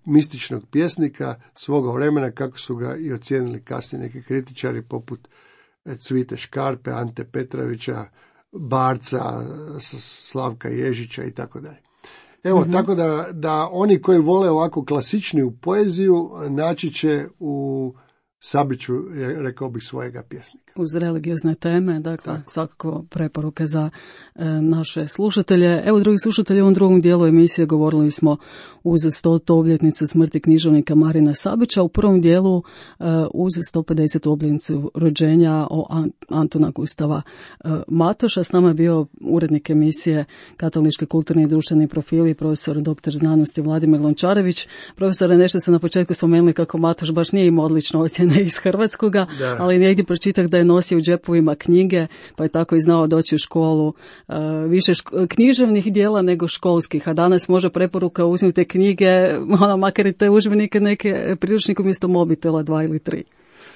mističnog pjesnika svoga vremena, kako su ga i ocijenili kasnije neki kritičari poput Cvite Škarpe, Ante Petrovića, Barca, Slavka Ježića i tako dalje. Evo, tako da oni koji vole ovako klasičniju poeziju naći će u Sabiću, rekao bih, svojega pjesnika. Uz religiozne teme, dakle, svakako preporuke za naše slušatelje. Evo, drugi slušatelji, u ovom drugom dijelu emisije govorili smo uz 100. obljetnicu smrti književnika Marina Sabića, u prvom dijelu uz 150. obljetnicu rođenja Antuna Gustava Matoša. S nama je bio urednik emisije Katolički kulturni i društveni profili, profesor dr. znanosti Vladimir Lončarević. Profesore, nešto ste na početku spomenuli kako Matoš baš nije imao odlične ocjene iz hrvatskoga, ali negdje pročitak da je nosio u džepovima knjige, pa je tako i znao doći u školu više književnih dijela nego školskih, a danas može preporuka uzmite knjige, makar i te udžbenike neke priručnike umjesto mobitela 2 ili 3.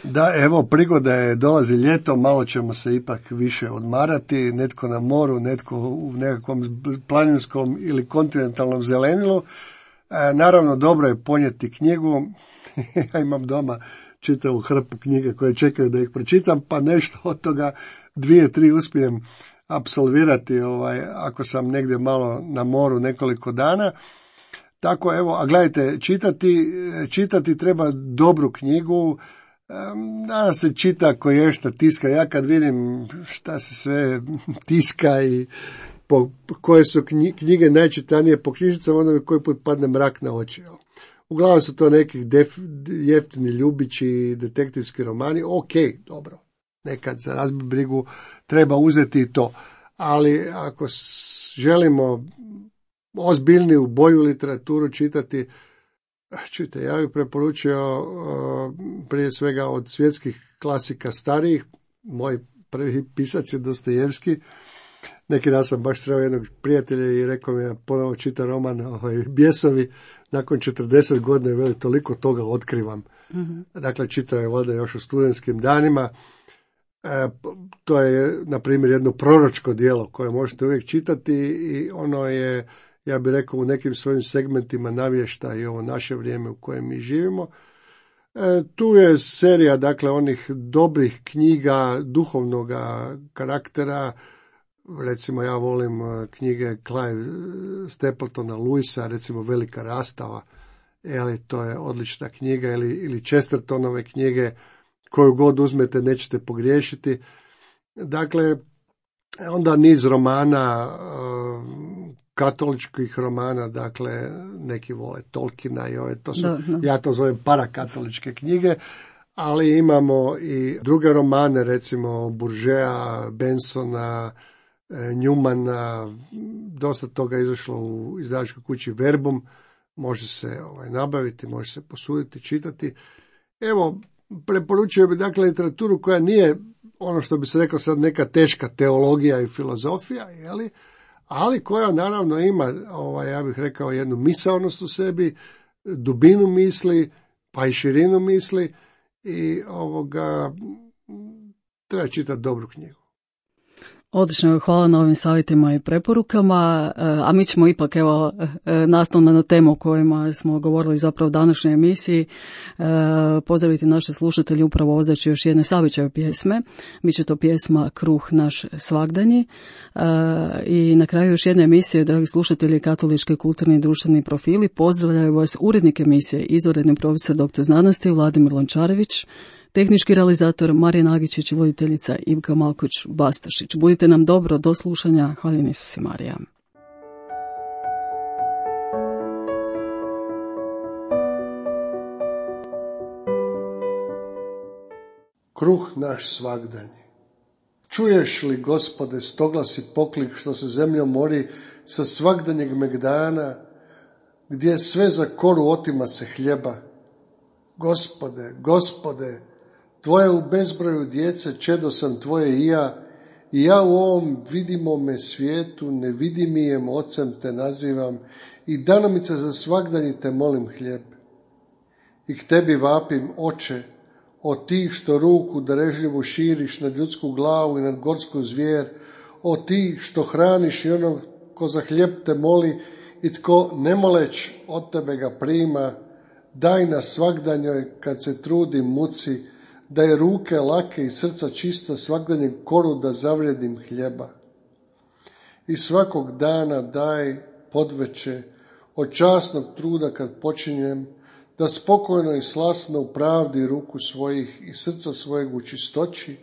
Da, evo, prigoda je, dolazi ljeto, malo ćemo se ipak više odmarati, netko na moru, netko u nekakvom planinskom ili kontinentalnom zelenilu. Naravno, dobro je ponijeti knjigu. Ja imam doma čitavu hrpu knjige koje čekaju da ih pročitam, pa nešto od toga 2-3 uspijem apsolvirati ako sam negdje malo na moru nekoliko dana. Tako, evo, a gledajte, čitati treba dobru knjigu. Danas se čita koješta tiska. Ja kad vidim šta se sve tiska i koje su knjige najčitanije po knjižnicama, onda mi koji put padne mrak na oči. Uglavnom su to nekih jeftini ljubići, detektivski romani. Ok, dobro, nekad za razbiti brigu treba uzeti i to. Ali ako želimo ozbiljniju, bolju literaturu čitati, čujte, ja bih preporučio prije svega od svjetskih klasika starijih. Moj prvi pisac je Dostojevski. Neki dan sam baš sreo jednog prijatelja i rekao mi, ja ponovo čita roman Bjesovi. Nakon 40 godina, veli, toliko toga otkrivam. Dakle, čitao je valjda još u studentskim danima. To je, na primjer, jedno proročko djelo koje možete uvijek čitati i ono je, ja bih rekao, u nekim svojim segmentima navješta i ovo naše vrijeme u kojem mi živimo. Tu je serija, dakle, onih dobrih knjiga duhovnog karaktera, recimo ja volim knjige Clive Stapletona Lewisa, recimo Velika rastava, to je odlična knjiga, ili Chestertonove knjige, koju god uzmete nećete pogriješiti. Dakle, onda niz romana, katoličkih romana, dakle, neki vole Tolkiena i to su, ja to zovem parakatoličke knjige, ali imamo i druge romane, recimo Bourgeoisa, Bensona, Newmana, dosta toga izašlo u izdavačkoj kući Verbum, može se nabaviti, može se posuditi, čitati. Evo, preporučio bi dakle literaturu koja nije ono što bi se rekao sad neka teška teologija i filozofija, ali koja naravno ima, ja bih rekao, jednu misaonost u sebi, dubinu misli, pa i širinu misli, i treba čitati dobru knjigu. Odlično, hvala na ovim savjetima i preporukama, a mi ćemo ipak, nastavno na temu o kojima smo govorili zapravo u današnjoj emisiji, pozdraviti naše slušatelje upravo ozračju još jedne Savićeve pjesme. Biće to pjesma Kruh naš svagdanji. I na kraju još jedne emisije, dragi slušatelji, katolički, kulturni i društveni profili, pozdravljaju vas urednik emisije, izvanredni profesor dr. znanosti Vladimir Lončarević, tehnički realizator Marijan Agičić i voditeljica Ivka Malkoć-Bastašić. Budite nam dobro, do slušanja. Hvala Isus i Marija. Kruh naš svagdanji. Čuješ li, Gospode, stoglasi poklik što se zemljom mori sa svagdanjeg megdana, gdje sve za koru otima se hljeba? Gospode, Gospode, Tvoje u bezbroju djece, čedo sam Tvoje i ja u ovom vidimome svijetu nevidimijem ocem te nazivam i danomice za svagdanji te molim hljeb. I k Tebi vapim, Oče, od tih što ruku darežljivu širiš nad ljudsku glavu i nad gorsku zvijer, od tih što hraniš i onog ko za hljeb te moli i tko ne moleć od Tebe ga prima, daj na svagdanjoj kad se trudi muci, da je ruke lake i srca čista svagdanjem koru da zavrijedim hljeba. I svakog dana daj podveče od časnog truda kad počinjem, da spokojno i slasno u pravdi ruku svojih i srca svojeg u čistoći,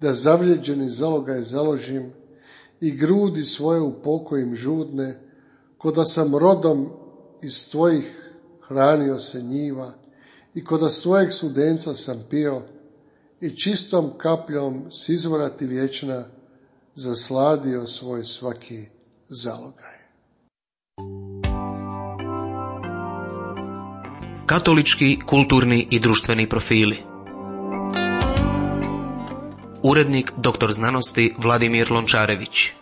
da zavrijeđeni zalogaj založim i grudi svoje u pokojim žudne, ko da sam rodom iz Tvojih hranio se njiva i ko da s Tvojeg studenca sam pio i čistom kapljom s izvora Ti vječna zasladio svoj svaki zalogaj. Katolički, kulturni i društveni profili. Urednik dr. znanosti Vladimir Lončarević.